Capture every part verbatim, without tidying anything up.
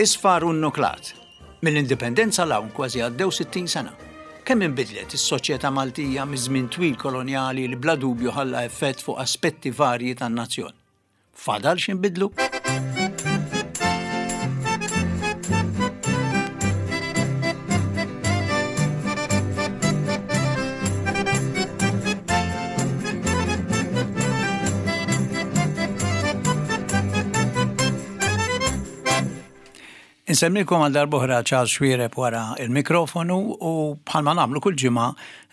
Isfar u nnuklat. Mill-Indipendenza 'l hawn kważi għaddew sittin sena. Kemm inbidlet is-soċjetà Maltija miż-żmien twil kolonjali li bla dubju ħalla effett fuq aspetti varji tan-nazzjon? Fadal x'inbidlu? Insemmilkom għal darb'oħra Charles Xuereb wara il-mikrofonu u bħalma nagħmlu kull ġimgħa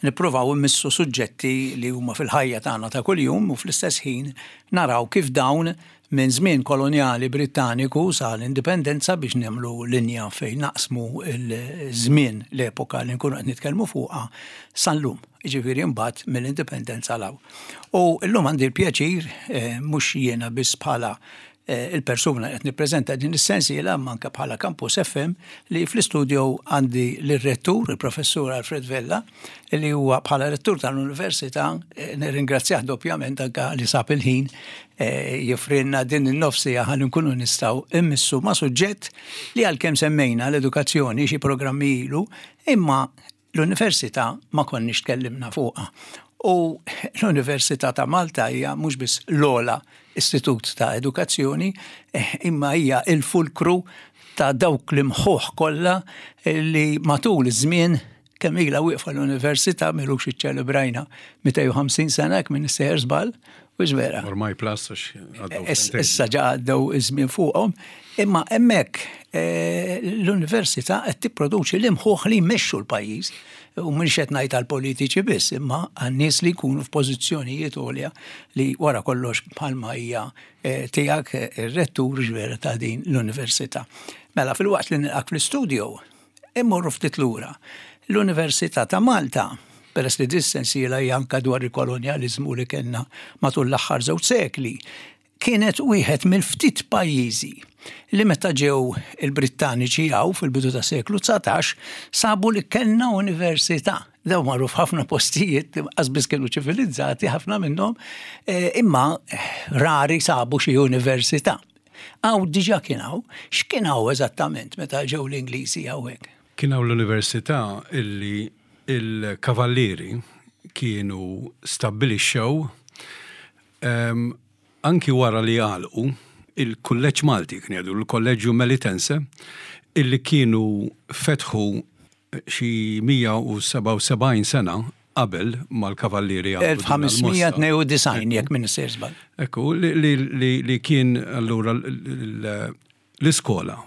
nippruvaw immissu suġġetti li huma fil-ħajja tagħna ta' kuljum u fl-istess ħin naraw kif dawn minn żmien kolonjali Brittaniku sa l-indipendenza biex nagħmlu linja fejn naqsmu l-żmien l-epoka li nkunu qed nitkellmu fuqha sal-lum. Jiġifieri mbagħad mill-indipendenza 'l hawn. U llum għandi l-pjaċir eh, mhux jiena biss bħala eh, il-persuna qed nippreżenta din is-sensiela manka bħala Campus F M li fl-istudio għandi l-rettur, il-professur Alfred Vella, li huwa bħala rettur tal-Università eh, nirringrazzjah doppjament anka li sab il-ħin eh, joffrilna din in-nofsija ħalli nkunu nistgħu immissu ma' suġġett li għalkemm semmejna l-edukazzjoni xi programmi ilu, imma l-università ma konniex tkellimna fuqha. U l-Università ta' Malta hija mhux biss l-ogħla istitut ta' edukazzjoni, eh, imma hija il-fulkru ta' dawk l-imħuħ kollha li matul iż-żmien kemm ilha wieqfa l-università, m'ilux iċċelebrajna mitejn u ħamsin sena jekk minn sejjer żball, u vera. Ormai plus għax għaddew sentejn. Issa ġa għaddew iż-żmien fuqhom, imma hemmhekk eh, l-università qed tipproduċi l-imħuħ li jmexxu l-pajjiż. U mhux qed ngħid għall-politiċi biss, imma għan-nies li jkunu f'pożizzjonijiet għolja li wara kollox bħalma hija eh, tiegħek eh, ir-rettur ġvera ta' din l-università. Mela fil-waqt li nilqak fl-istudio, immorru ftit lura. L-Università ta' Malta, peress li dis-sensiela hija anka dwar il-kolonjaliżmu li kellna matul l-aħħar żewġ sekli, kienet wieħed mill-ftit pajjiżi li meta ġew il-Brittaniċi hawn fil-bidu ta' seklu dsatax sabu li kellna università. Daw marru f'ħafna postijiet, qas kienu ċivilizzati, ħafna minnhom, eh, imma rari sabu xi università. Hawn diġà kien hawn, x'kien hawn eżattament meta ġew l-Ingliżi hawnhekk? Kien hawn l-università illi il-kavallieri kienu stabbilixxew em, anki wara li għalqu il-kulleġġ Malti, kien jgħidu l-Kolleġġju Melitense, illi kienu fetħu xi mija u sebgħa u sebgħin sena qabel mal-kavallieri għamlu din il-mossa. elf ħames mija tnejn u disgħin jekk minn sejjer żball. Ekku, li, li, li, li kien allura l- l- l-iskola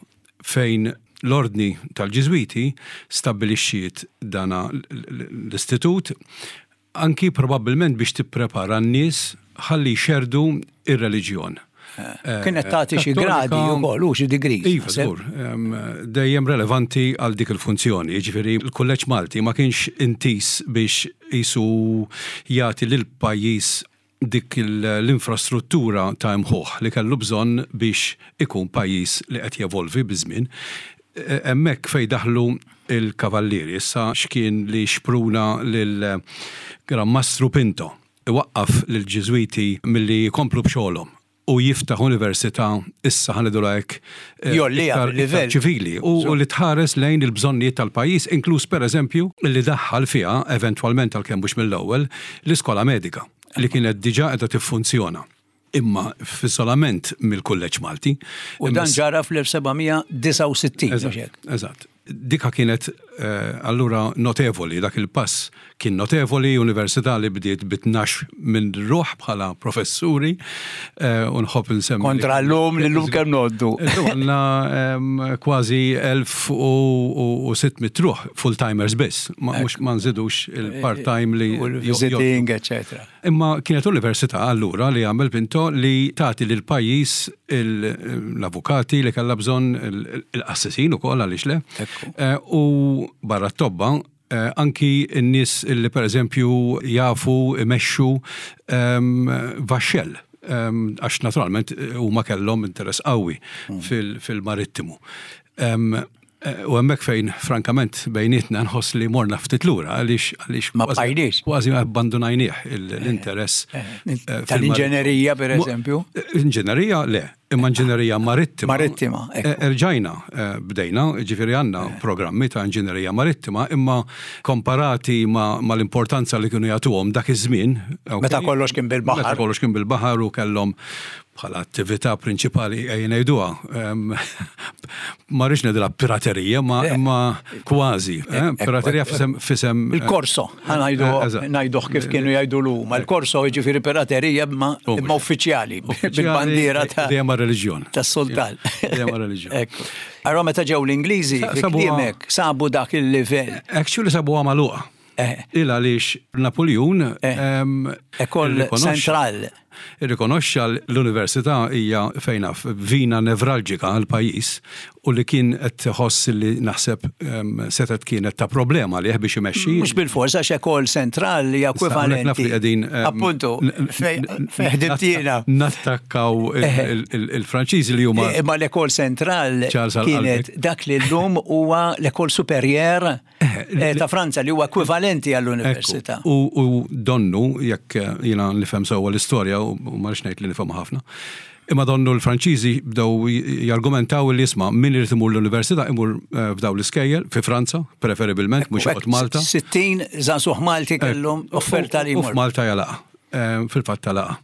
fejn l-ordni tal-Ġiżwiti stabbilixxiet dana l- l- l-istitut anki probabbilment biex tipprepara n-nies ħalli jxerdu ir-reliġjon. Kienet tagħti xi Kattolika- gradi wkoll u xi degrees. Iva, żgur, em, dejjem relevanti għal dik il-funzjoni. Jiġifieri l-Kulleġġ Malti ma kienx intis biex jisu jagħti lil pajjiż dik il- l-infrastruttura ta' imħuħ li kellu bżonn biex ikun pajjiż li qed jevolvi biż-żmien. E- Hemmhekk fej daħlu il-kavallieri, issa x'kien li xpruna lil Gran Mastru Pinto iwaqqaf lil Ġiżwiti milli jkomplu b'xogħolhom u jiftaħ università, issa ħa ngħidu hekk eh, Jgħolliha iktar- fil-livell. iktar ċivili u, u li tħares lejn il-bżonnijiet tal-pajjiż, inkluż per eżempju li daħħal fiha eventwalment, għalkemm mhux mill-ewwel, l-iskola medika li kienet diġà qiegħda tiffunzjona imma f'iżolament mill-Kulleġġ Malti. U dan ġara fl-elf seba' mija disgħa u sittin, mhux Eżatt, hekk? eżatt. Dika kienet eh, allura notevoli, dak il-pass kien notevoli, università li bdiet bi tnax minn ruħ bħala professuri, eh, u nħobb nsemmi. Kontra l-lum, li l-lum kemm ngħoddu. Illum għandna em, kważi elf u sitt mitt ruħ full-timers biss, ma mhux ma nżidux il-part-time li U l-visiting, eccetera. Imma kienet università allura li għamel Pinto li tagħti lil pajjiż l-avukati li kellha bżonn, il-qassisin ukoll, għaliex le. Ekku. Eh, U barra t-tobba eh, anki n-nies li per eżempju jafu imexxu em, vaxxell em, għax naturalment eh, huma kellhom interess qawwi fil- fil-marittimu. Em, Eh, u hemmhekk fejn, frankament, bejnietna nħoss li morna ftit lura għaliex għaliex ma bqajniex. Kważi abbandunajnieh l-interess. Eh, eh, tal-inġenerija, per eżempju? Inġenerija le, imma inġenerija marittima. Marittima. Erġajna bdejna, ġifieri għandna programmi ta' inġenerija marittima, imma komparati ma l-importanza li kienu jagħtuhom dak iż-żmien. Meta kollox kien bil-baħar. Meta kollox kien bil-baħar u kellhom bħala attività prinċipali, ejja ngħiduha. Ma rridx ngħidilha piraterija, ma imma kważi. Piraterija f'isem f'isem Il-korso, ngħiduh kif kienu jgħidu l-huma. Il-korso, jiġifieri piraterija, imma uffiċjali, bil-bandiera ta' Dejjem reliġjon. Tas-sultan. Dejjem reliġjon. Allora meta ġew l-Ingliżi, fi sabu dak il-livell. Actually sabuha magħluqa. Il għaliex Napoleon École Centrale. Irrikonoxxa l-università hija fejna vina nevralġika għal pajjiż u li kien qed tħoss li naħseb setet kienet ta' problema li biex imexxi. Mhux bil-forsa, għax École Centrale hija ekwivalenti. Qegħdin Appuntu, fejn jiena. Nattakkaw il-Franċiżi li huma. Imma l-École Centrale kienet dak li llum huwa l-École Supérieure ta' Franza, li huwa ekwivalenti għall-università. U donnu, jekk jiena nifhem sewwa l-istorja, u ma rridx ngħid li nifhem ħafna, imma donnu l-Franċiżi bdew jargumentaw li jisma' min irid imur l-università imur eh, f'daw l-iskejjel fi Franza, preferibilment, mhux joqgħod Malta. sittin żagħżugħ Malti kellhom offerta li U jmur. f'Malta jalaqa. Eh, Fil-fatt talaqa.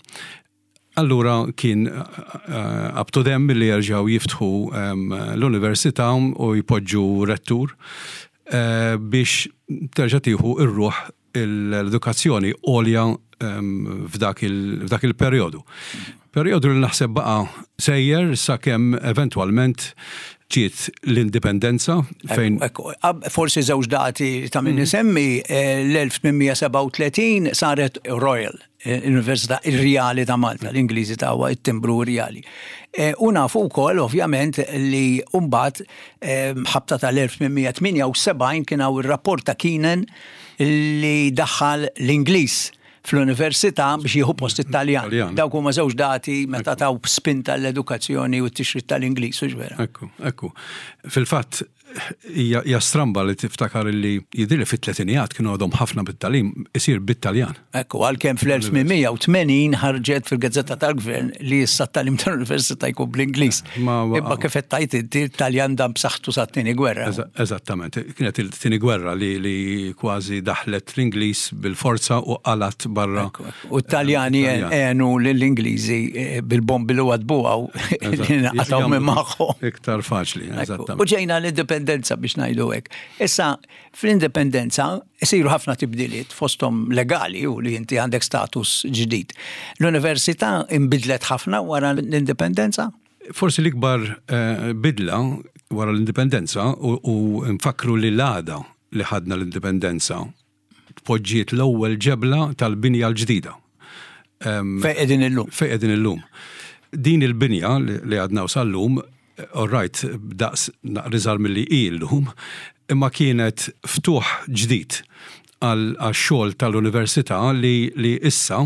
Allura kien eh, up to them li jerġgħu jiftħu em, l-università u jpoġġu rettur eh, biex terġa' tieħu ir-ruħ l-edukazzjoni għolja em, f'dak il- f'dak il-perjodu. Perjodu li naħseb baqa' sejjer sakemm eventwalment ġiet l-indipendenza fejn Ekku, ab- forsi żewġ dati ta' min isemmi, eh, l-elf tmien mija sebgħa u tletin saret Royal, eh, l-Università Rjali ta' Malta, l-Ingliżi tawha it-timbru Rjali. Eh, U nafu wkoll ovvjament li mbagħad eh, ħabta tal-elf tmien mija tmienja u sebgħin kien hawn ir-rapport ta' Keenan li daħħal l-Ingliż fl-università biex jieħu post it-Taljan. Taljan. Dawk huma żewġ dati meta taw spinta l-edukazzjoni u t-tixrid tal-Ingliż, u vera? Ekku, ekku. Fil-fatt, hija hija stramba li tiftakar li jidhirli fit-tletinijat kienu għadhom ħafna bit-tagħlim isir bit-Taljan. Ekku, għalkemm fl-elf tmien mija u tmenin ħarġet fil-Gazzetta tal-Gvern li issa t-tagħlim tal-Università jkun bl-Ingliż. Ma- Imma kif qed tgħid inti, Taljan dam b'saħħtu sat-tieni gwerra. Eża- Eżattament, kienet il-tieni gwerra li, li kważi daħlet l-Ingliż bil-forza u qalat barra. Ekku, ekku. U t-Taljani Taljan. għenu lill-Ingliżi eh, bil-bombi li wadbu għaw li naqataw minn magħhom. Iktar faċli, Ekku. eżattament. U ġejna l-indipendenza biex ngħidu hekk. Issa, fl-indipendenza isiru ħafna tibdiliet, fosthom legali, u li inti għandek status ġdid. L-università imbidlet ħafna wara l-indipendenza? Forsi l-ikbar eh, bidla wara l-indipendenza, u, u nfakru li l-għada li ħadna l-indipendenza tpoġġiet l-ewwel ġebla tal-binja l-ġdida. Fejn qegħdin illum. Fejn qegħdin illum. Din il-binja li li għadna sal-lum, all right, daqs naqra iżgħar milli hi llum, imma kienet ftuħ ġdid għal xogħol tal-università li, li issa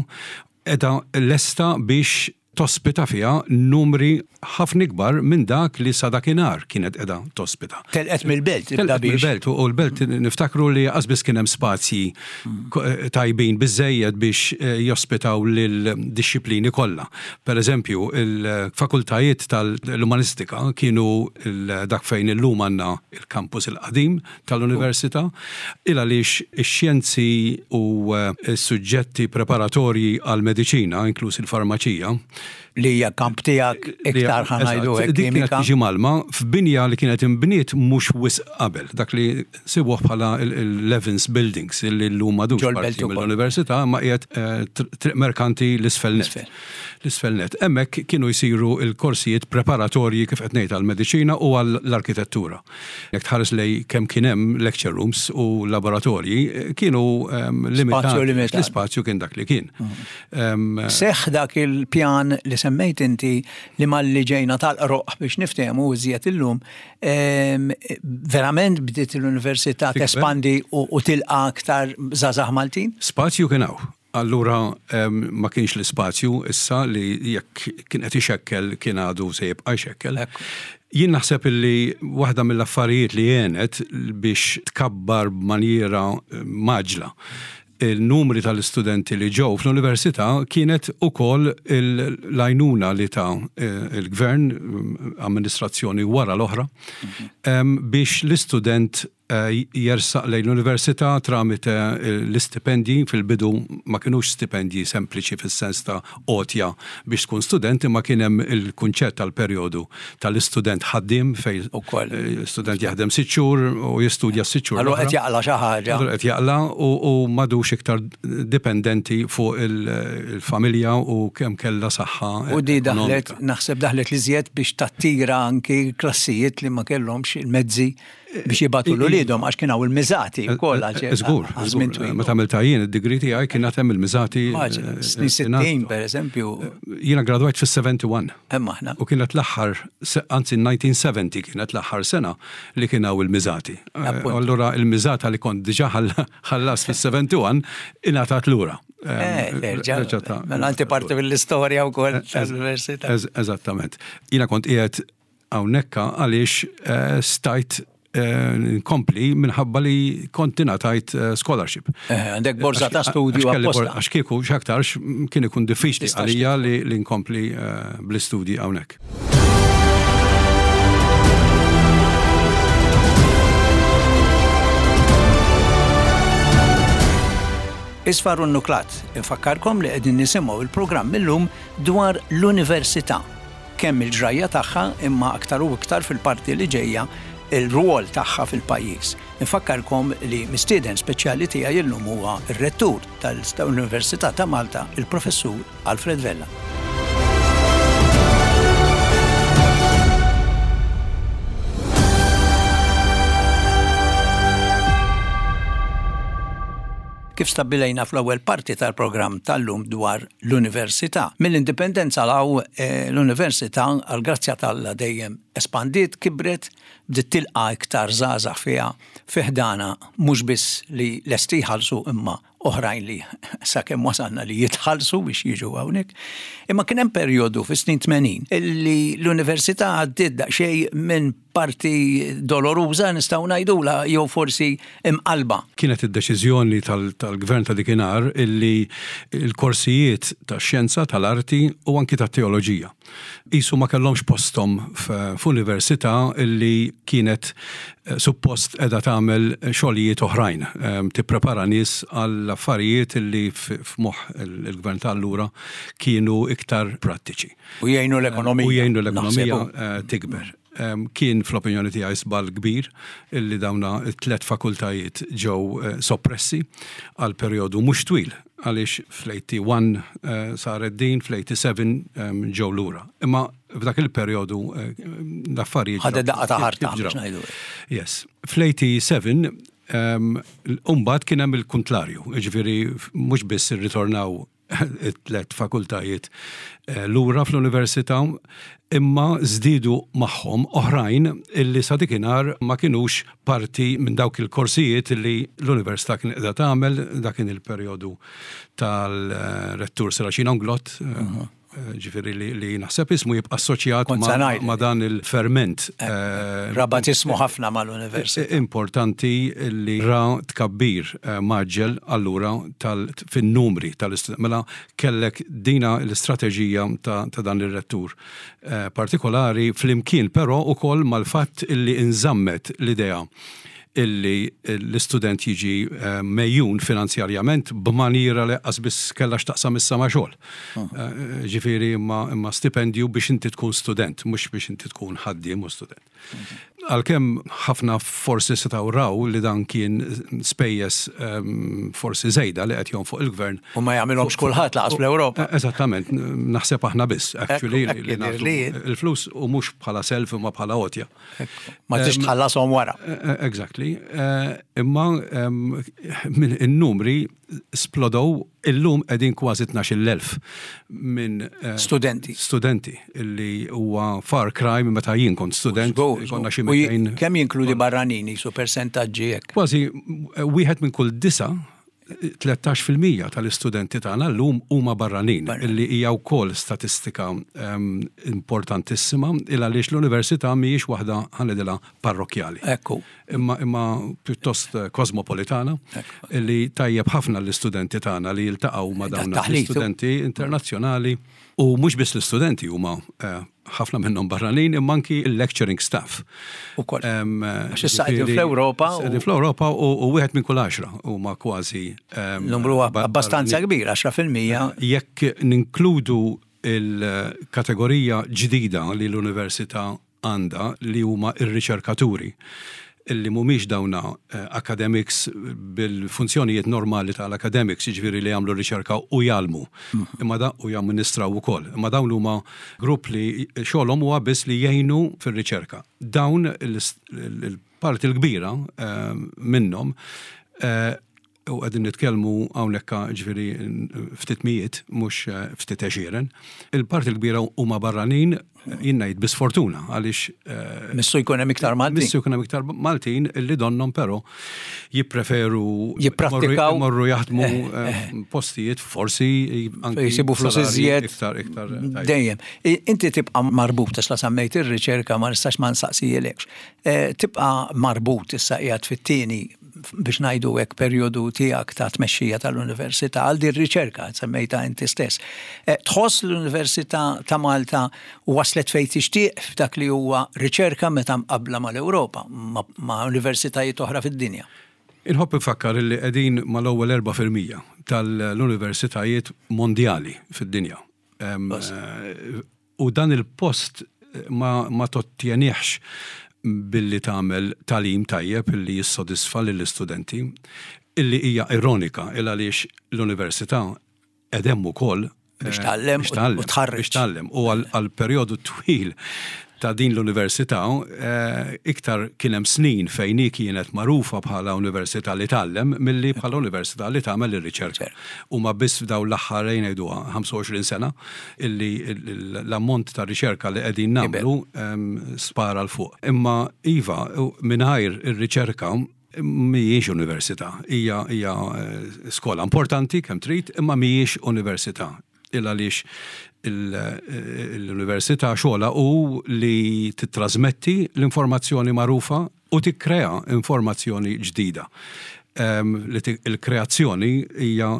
qiegħda lesta biex tospita fiha numri ħafna ikbar minn dak li sa dakinhar kienet qiegħda tospita. Telqet mill-belt, ibda Telqet biex. mill-belt, u l-belt niftakru li qas kien hemm spazji ko- tajbin biżejjed biex eh, jospitaw lil-disciplini kollha. Per eżempju, il-fakultajiet tal-umanistika kienu il- dak fejn illum għandna il-kampus il-qadim tal-università, il għaliex ix-xjenzi u eh, s-suġġetti preparatorji għal-mediċina, inkluż il-farmaċija, Li hija kamp tiegħek iktar, ħa ngħidu Eżatt, hekk, dik kienet kimika. tiġi mgħallma f'binja li kienet imbniet mhux wisq qabel, dak li sibuh bħala il-Levins Buildings li llum m'għadux Ġol-belt parti ukoll. mill-università, ma qiegħed eh, tr- Triq Merkanti l-isfel net. L-isfel. L-isfel net. Hemmhekk kienu jsiru il-korsijiet preparatorji kif qed ngħid għall-mediċina u għall-arkitettura. Jekk tħares lej kemm kien hemm lecture rooms u laboratorji, eh, kienu ehm, limitati. Limitat. L-ispazju kien dak li kien. Ehm, Seħ dak il-pjan li semmejt inti li malli ġejna tal-qroq biex niftehmu iżjed illum, em, verament bdiet l-università Tikber. tespandi u, u tilqa aktar żgħażagħ Maltin? Spazju kien hawn. Allura em, ma kienx l-ispazju issa li jekk kien qed ixekkel kien għadu se jibqa' jxekkel. Ekku. Jien naħseb illi waħda mill-affarijiet li għenet biex tkabbar b'manjiera mgħaġġla il-numri tal-istudenti li ġew fl-università kienet ukoll l-għajnuna li ta il-gvern, amministrazzjoni wara l-oħra, biex l-istudent jersaq lejn l-università tramite l-istipendji. Fil-bidu ma kienux stipendji sempliċi fis-sens ta' għotja biex tkun student, imma kien hemm il-kunċett tal-perjodu tal-istudent ħaddiem, fejn student jaħdem sitt xhur u jistudja sitt xhur. Allura qed jaqla' xi ħaġa. Allura qed jaqla' u m'għadux iktar dipendenti fuq il-familja u kemm kellha saħħa. U di daħlet, naħseb daħlet li żjed biex tattira anki klassijiet li ma kellhomx il-mezzi biex jibagħtu 'l uliedhom, għax kien hawn il-miżati wkoll. Żgur, meta għamilta jien id-degree tiegħi kien hemm il-miżati. Snin sittin pereżempju. Jiena gradwajt fis-sebgħa u sebgħin. Hemm aħna. U kienet l-aħħar, anzi elf disa' mija u sebgħin kienet l-aħħar sena li kien hawn il-miżati. Allura il-miżata li kont diġà ħallas fis-sebgħa u sebgħin ingħatat lura. Erġa', mela inti parti mill-istorja wkoll tal-università. Eżattament. Jiena kont qiegħed hawnhekk għaliex stajt nkompli minħabba li kont ingħatajt scholarship. Għandek borza ta' studju apposta. Għax kieku x'aktarx kien ikun diffiċli għalija li nkompli bl-istudji hawnhekk. Isfar u Nuklat, infakkarkom li qegħdin nisimgħu il-programm illum dwar l-università. Kemm il-ġrajja tagħha, imma aktar u iktar fil-parti li ġejja il-rwol tagħha fil-pajjiż. Infakkarkom li mistieden speċjali tiegħi illum huwa r-rettur tal-Università ta' Malta, il-Professur Alfred Vella. Kif stabbilejna fl-ewwel parti tal-programm tal-lum dwar l-università. Mill-indipendenza 'l hawn l-università, għal grazzja t'Alla, dejjem espandiet, kibret, bdiet tilqa' iktar żgħażagħ fiha fi ħdanha, mhux biss li lesti jħallsu imma oħrajn li sakemm wasalna li jitħallsu biex jiġu hawnhekk. Imma kien hemm perjodu fis-snin tmenin illi l-università għaddiet daqsxejn minn parti doloruża, nistgħu ngħidula, jew forsi imqalba. Kienet id-deċiżjoni tal-gvern ta' dikinhar illi l-korsijiet tax-xjenza, tal-arti u anki tat-teoloġija qisu ma kellhomx posthom f'università illi kienet suppost qiegħda tagħmel xogħlijiet oħrajn, tipprepara nies għall affarijiet illi f'moħħ il-gvern ta' allura kienu iktar prattiċi. U jgħinu l-ekonomija. U jgħinu l-ekonomija tikber. Kien fl-opinjoni tiegħi żball kbir illi dawna t-tlet fakultajiet ġew soppressi għal perjodu mhux twil, għaliex fl-wieħed u tmenin saret din, fl-sebgħa u tmenin ġew lura. Imma f'dak il-perjodu l-affarijiet ħadet daqqa ta' ħarta biex ngħidu. Yes. Fl-sebgħa u tmenin imbagħad kien hemm il-kuntlarju, jiġifieri mhux biss irritornaw it-tlet fakultajiet lura fl-università, imma żdiedu magħhom oħrajn illi sa dikinhar ma kinux parti minn dawk il-korsijiet illi l-università kien qiegħda tagħmel. Dak kien il-perjodu tal-rettur Serracino Inglott, ġifieri li, li naħseb ismu jibqa' assoċjat ma, ma dan il-ferment. Rabat ismu ħafna mal-università. Importanti li ra tkabbir mgħaġġel allura fin-numri tal-istudenti. Mela kellek dina l-istrateġija ta', ta dan ir-rettur partikolari flimkien però ukoll mal-fatt illi inżammet l-idea illi l-istudent jiġi megħjun finanzjarjament b'maniera li qas biss kellha x'taqsam issa ma' xogħol. Ġifieri imma, imma stipendju biex inti tkun student, mhux biex inti tkun ħaddiem u student. Għalkemm ħafna forsi setgħu raw li dan kien spejjeż forsi żejda li qed fuq il-gvern. U ma jagħmilhomx kulħadd lanqas fl-Ewropa. Eżattament, naħseb aħna biss, actually, li nagħtu il-flus u mhux bħala self imma bħala għotja. Ma tix tħallashom wara. Exactly. Imma in-numri splodow, illum qegħdin kważi tnax-il elf minn studenti. Studenti illi huwa far cry minn meta jien kont student. Konna xi Kemm jinkludi barranini su persentaġġi hekk? Kważi wieħed minn kull disa tlettax fil-mija tal-istudenti tagħna llum huma barranin, illi hija wkoll statistika um, importantissima, il għaliex l-università mhijiex waħda, ħa ngħidilha, parrokjali. Ekku. Imma imma pjuttost kosmopolitana, illi tajjeb ħafna l-istudenti tagħna li jiltaqgħu ma' dawn l-istudenti internazzjonali, u mhux biss l-istudenti huma eh, ħafna minnhom barranin, imma anki il-lecturing staff. Ukoll. Għax issa qegħdin fl-Ewropa. Qegħdin fl-Ewropa u wieħed minn kull għaxra huma kważi. Numru abbastanza kbir, għaxra fil-mija. Jekk ninkludu il-kategorija ġdida li l-università għandha, li huma ir-riċerkaturi, illi mhumiex dawna eh, academics bil-funzjonijiet normali tal-academics, jiġifieri li jagħmlu riċerka u jgħallmu, mhm. imma da u jamministraw ukoll. Imma dawn huma grupp li xogħolhom huwa biss li jgħinu fir-riċerka. Dawn il-parti l-kbira eh, minnhom, eh, u qegħdin nitkellmu hawnhekk ġifieri ftit mijiet, mhux eh, ftit għexieren. Il-parti l-kbira huma barranin, jien ngħid bi sfortuna, għaliex eh, Missu jkun hemm iktar Maltin. Missu jkun hemm iktar Maltin illi donnhom però jippreferu jipprattikaw. Morru jaħdmu eh, postijiet forsi anki jisibu flus iżjed. Iktar iktar. Dejjem. Inti tibqa' marbut, għax la semmejt ir-riċerka ma nistax ma nsaqsijilekx. Tibqa' marbut, issa qiegħed fit-tieni, biex ngħidu hekk, perjodu tiegħek ta' tmexxija tal-università, għal din riċerka semmejta inti stess. Eh, tħoss l-Università ta' Malta waslet fejn tixtieq f'dak li huwa riċerka meta mqabbla mal-Ewropa, ma' universitajiet oħra fid-dinja? Inħobb infakkar li qegħdin mal-ewwel erba' fil-mija tal-universitajiet mondjali fid-dinja. Eh, u dan il-post ma, ma tottjenihx billi tagħmel tagħlim tajjeb illi jissodisfa lill-istudenti, illi hija ironika il għaliex l-università qegħda hemm ukoll biex tgħallem u tħarreġ. Biex tgħallem. U għal perjodu twil ta' din l-università, eh, iktar kien hemm snin fejn hi kienet magħrufa bħala università li tgħallem milli bħala università li tagħmel ir-riċerka. U ma biss f'daw l-aħħar, ngħiduha, ħamsa u għoxrin sena illi l-ammont ta' riċerka li qegħdin nagħmlu spara 'l fuq. Imma iva, mingħajr ir-riċerka mhijiex università, hija hija eh, skola importanti kemm trid, imma mhijiex università. Il għaliex l-università xogħla u li titrasmetti l-informazzjoni magħrufa u tikkrea informazzjoni ġdida. Li il-kreazzjoni hija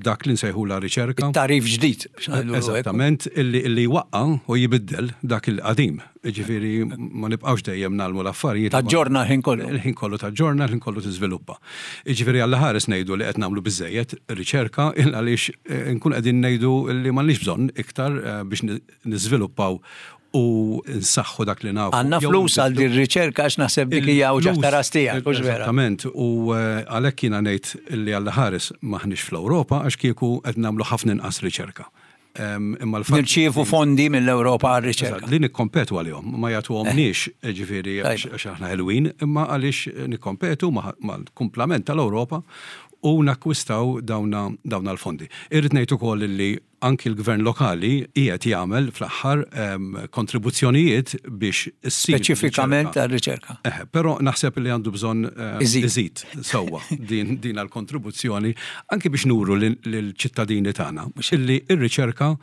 dak li nsejħu la riċerka. Tagħrif ġdid. Eżattament, illi illi waqqa u jibiddel dak il-qadim. Ġifieri ma nibqgħux dejjem ngħallmu l-affarijiet. Taġġorna l-ħin kollu. Il-ħin kollu taġġorna, il-ħin kollu tiżviluppa. Ġifieri Alla ħares ngħidu li qed nagħmlu biżejjed riċerka, il għaliex eh, nkun qegħdin ngħidu li m'għandniex bżonn iktar eh, biex niżviluppaw u nsaħħu dak li nafu. Għandna flus għal din riċerka, għax naħseb dik hija uġigħ ta' ras tiegħek, hux vera? Eżattament, u eh, għalhekk jiena ngħid li Alla ħares maħniex fl-Ewropa, għax kieku qed nagħmlu ħafna inqas riċerka. Imma l Nirċievu fondi mill-Ewropa għal riċerka. Li nikkompetu għalihom, ma jagħtuhomniex eh. ġifieri għax aħna ħelwin, imma għaliex nikkompetu mal-kumplament tal-Ewropa u nakkwistaw dawna, dawna l-fondi. Irrid ngħid ukoll li anki l-gvern lokali qiegħed jagħmel fl-aħħar kontribuzzjonijiet biex issir speċifikament għar-riċerka. Eh, però naħseb li għandu bżonn iżid sewwa din din għall-kontribuzzjoni, anki biex nuru lill-ċittadini tagħna illi r-riċerka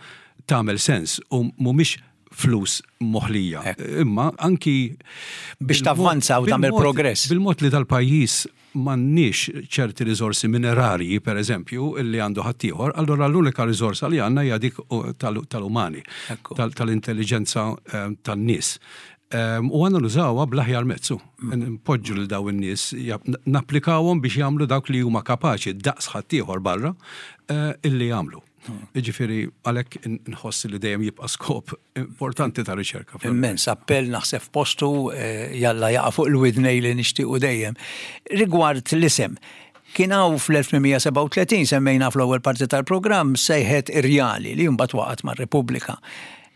tagħmel sens u mhumiex flus moħlija. Imma anki biex tavvanza u tagħmel progress. Bil-mod li dal-pajjiż m'għandniex ċerti riżorsi minerarji, per eżempju, illi għandu ħaddieħor, allura l-unika riżorsa li għandna hija dik tal-umani, tal-intelligenza eh, tan-nies. U għandna nużawha bl-aħjar mezzu. Mm. Npoġġu lil daw in-nies, napplikawhom biex jagħmlu dawk li huma kapaċi daqs ħaddieħor barra eh, illi jagħmlu. Ġifieri, għalhekk nħoss li dejjem jibqa' skop importanti ta' riċerka. Immens, appell naħseb postu, eh, jalla jaqa' fuq il-widnej li nixtiequ dejjem. Rigward l-isem, kien hawn fl-elf tmien mija sebgħa u tletin, semmejna fl-ewwel parti tal-programm, sejħet Irjali, li mbagħad waqgħet mar-Repubblika.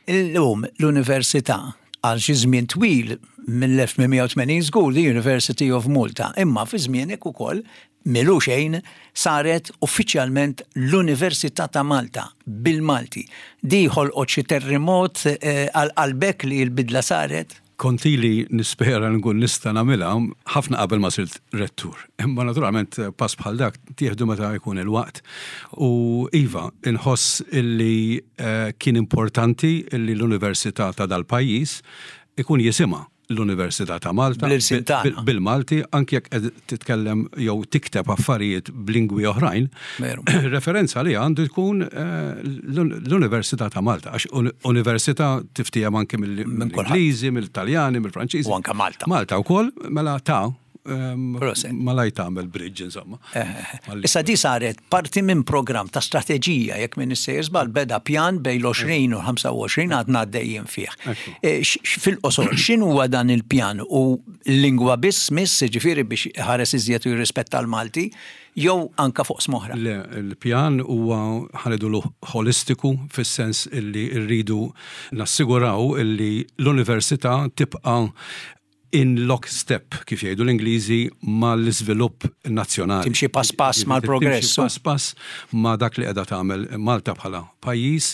Illum l-Università għal xi żmien twil, mill-elf tmien mija u tmenin żgur, the University of Malta, imma fi żmienek ukoll milu xejn saret uffiċjalment l-Università ta' Malta bil-Malti. Di ħolqot xi terremot eh, għal qalbek li l-bidla saret? Kont ili nispera nkun nista' nagħmilha ħafna qabel ma sirt rettur. Imma naturalment pass bħal dak tieħdu meta jkun il-waqt. U iva, inħoss illi eh, kien importanti illi l-Università ta' dal-pajjiż ikun jisimha l-Università ta' Malta Bl-ilsien tagħna. bil-Malti, anke jekk qed titkellem jew tikteb affarijiet b'lingwi oħrajn. Veru. Referenza li għandu jkun eh, l-Università ta' Malta, għax uni- università tiftiehem anke mill-Ingliżi, mill-Taljani, mill-Franċiżi. U anke Malta. Malta wkoll, mela ta' ehm, Proset. malaj tagħmel bridge, insomma. Eh, Issa di saret parti minn program ta' strateġija, jekk minn sejjer żball, beda pjan bejn l-għoxrin u ħamsa u għoxrin, għadna għaddejjin fih. Ekku. Eh, x- x- Fil-qosor, x'inhu huwa dan il-pjan? U l-lingwa biss miss, ġifieri biex ħares iżjed u jirrispetta l-Malti, jew anka fuq oqsma oħra? Le, il-pjan huwa, ħa ngħidulu, holistiku, fis-sens illi rridu nassiguraw illi l-università tibqa' in lockstep, kif jgħidu l-Ingliżi, mal-iżvilupp nazzjonali. Timxi pass pass mal-progress. Timxi pass pass ma' dak li qiegħda tagħmel Malta bħala pajjiż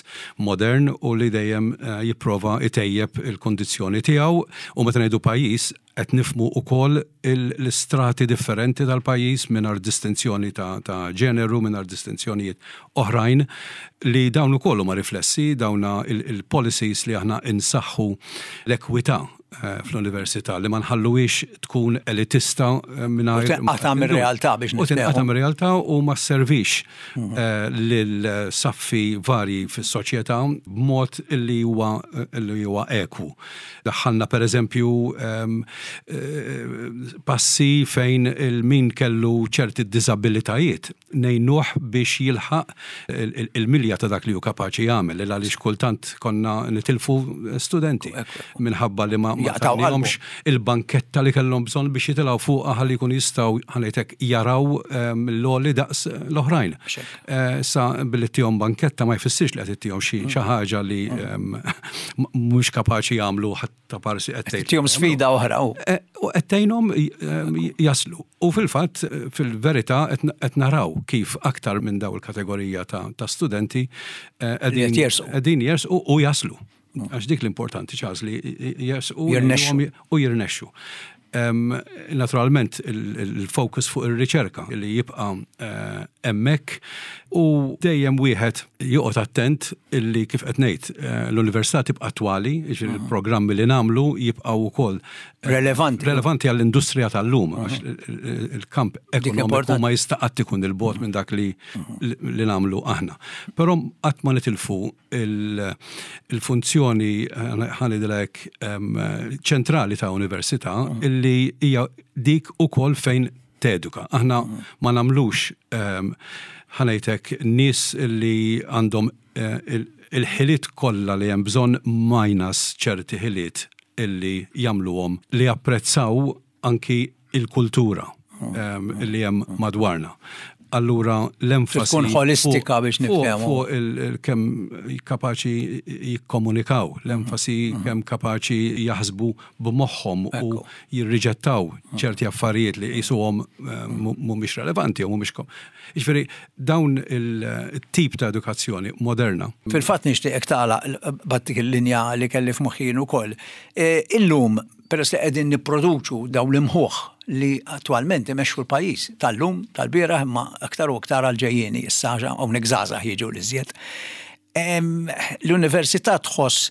modern u li dejjem eh, jipprova itejjeb il-kondizzjoni tiegħu. U meta ngħidu pajjiż qed nifhmu ukoll l-istrati differenti tal-pajjiż mingħajr distinzjoni ta', ta' ġeneru, mingħajr distinzjonijiet oħrajn, li dawn ukoll huma riflessi dawna il-policies li aħna insaħħu l-ekwità eh, fl-università, li ma nħalluhiex tkun elitista eh, mingħajr U tinqata' mir-realtà biex U tinqata' niftehmu. mir-realtà u ma servix eh, lil saffi varji fis-soċjetà b'mod illi huwa illi huwa ekwu. Daħħalna, per eżempju, ehm, eh, passi fejn il-min kellu ċerti disabilitajiet ngħinuh biex jilħaq il- il- il-milja ta' dak li hu kapaċi jagħmel, il għaliex kultant konna nitilfu studenti minħabba li ma ma Jaqtgħu tagħnihomx il-banketta li kellhom bżonn biex jitilgħu fuqha ħalli jkunu jistgħu, ħa ngħidlek, jaraw ehm, l-għoli daqs l-oħrajn. Xek. Eh, Sa billi ttihom banketta ma jfissirx li qed ittihom xi xi ħaġa li ehm, mhux kapaċi jagħmlu, ħatta parsi qed tgħid. Tihom sfida oħra. u. Eh, U qed tgħinhom ehm, jaslu. U fil-fatt, fil-verità, qed naraw kif aktar minn daw il-kategorija ta' ta' studenti eh, Li qed jersqu. qegħdin jersqu u jaslu. Għax dik l-importanti, Charles, li jersqu Jirnexxu. u jirnexxu. Em, Naturalment il-focus fuq ir-riċerka li jibqa' eh, hemmhekk u dejjem wieħed joqgħod attent illi, kif qed ngħid, eh, l-università tibqa' attwali, jiġifieri il-programmi li nagħmlu jibqgħu wkoll eh, Relevanti. relevanti għall-industrija tal-lum, għax il- il- il-kamp ekonomiku importanti. ma jista' qatt ikun il-bogħod minn dak li li nagħmlu aħna. Però qatt ma nitilfu il- il-funzjoni, ħa ngħidlek, ċentrali ta' università, illi hija dik ukoll fejn teduka. Aħna ma nagħmlux, em, ħa ngħidlek, nies li għandhom eh, il- il-ħiliet kollha li hemm bżonn minus ċerti ħiliet illi jagħmluhom li japprezzaw anki il-kultura em, li hemm madwarna. Allura l-enfasi Tkun holistika fuq- biex fuq- niftehmu. Fuq il- il- kemm kapaċi jikkomunikaw, l-enfasi kemm kapaċi jaħsbu b'moħħhom u Ekku. jirriġettaw ċerti affarijiet li jisuhom eh, mhumiex relevanti u mhumiex kom. Jiġifieri dawn il-tip ta' edukazzjoni moderna. Fil-fatt nixtieqek tagħlaq b'dik il-linja li kelli f'moħħi jien ukoll. E, Illum, peress li qegħdin nipproduċu dawn l-imħuħ li attualment imexxu l-pajjiż tal-lum, tal-bieraħ, imma aktar u aktar għal-ġejjieni, issa hawnhekk żgħażagħ jiġu l-iżjed. Em, L-università tħoss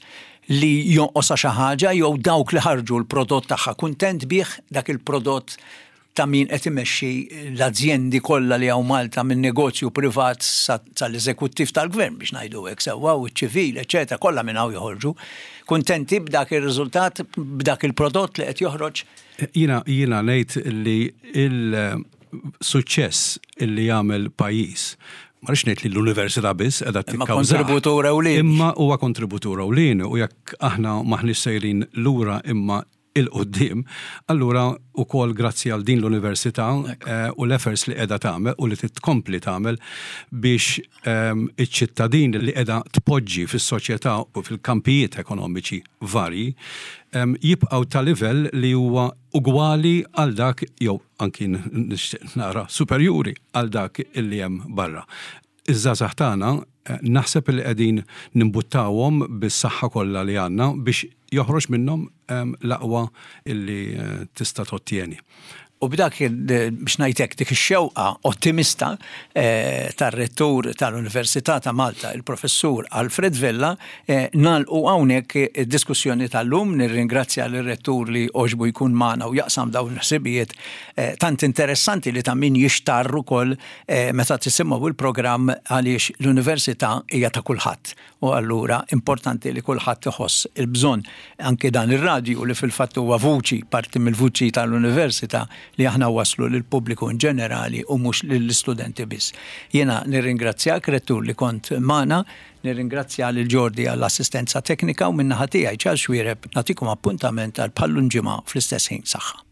li jonqosha xi ħaġa, jew dawk li ħarġu l-prodott tagħha kuntent bih dak il-prodott ta' min qed imexxi l-azjendi kollha li hawn Malta, minn negozju privat sa- sal-eżekuttiv tal-gvern, biex ngħidu hekk sewwa, u ċ-ċivil, eċetera, kollha minn hawn joħorġu. Kuntenti b'dak ir-riżultat, b'dak il-prodott li qed joħroġ? Jiena jiena ngħid li il-suċċess illi jagħmel pajjiż, ma rridx ngħid li l-università biss qiegħda Imma tikkawżah. kontributur ewlieni. Imma huwa kontributur ewlieni, u jekk aħna maħniex sejrin lura imma 'il quddiem, allura ukoll grazzi għal din l-università eh, u l-efforts li qiegħda tagħmel u li titkompli tagħmel biex ehm, iċ-ċittadin li qiegħda tpoġġi fis-soċjetà u fil-kampijiet ekonomiċi varji ehm, jibqgħu ta' livell li huwa ugwali għal dak, jew anki nixtieq nara superjuri għal dak illi hemm barra. Iż-żgħażagħ tagħna eh, naħseb li qegħdin nimbuttawhom bis-saħħa kollha li għandna biex Joħroġ minnhom l-aqwa illi eh, tista' tottieni. U b'dak, biex ngħidlek, dik ix-xewqa ottimista eh, tar-rettur tal-Università ta' Malta, il-professur Alfred Vella, eh, nagħlqu hawnhekk id-diskussjoni tal-lum. Nirringrazzja l-rettur li għoġbu jkun magħna u jaqsam dawn l-ħsibijiet eh, tant interessanti li ta' min jixtarru kol meta tisimgħu il-programm, għaliex l-università hija ta' kulħadd. U allura importanti li kulħadd iħoss il-bżonn anke dan ir-radju, li fil-fatt huwa vuċi, parti mill-vuċi tal-università, li aħna waslu lill-pubbliku in ġenerali u mhux lill-istudenti biss. Jiena nirringrazzjak, rettur, li kont magħna, nirringrazzja lil Jordi għall-assistenza teknika u min-naħa tiegħi, Charles Xuereb, nagħtikom appuntament għal bħal-lum ġimgħa fl-istess ħin. Saħħa.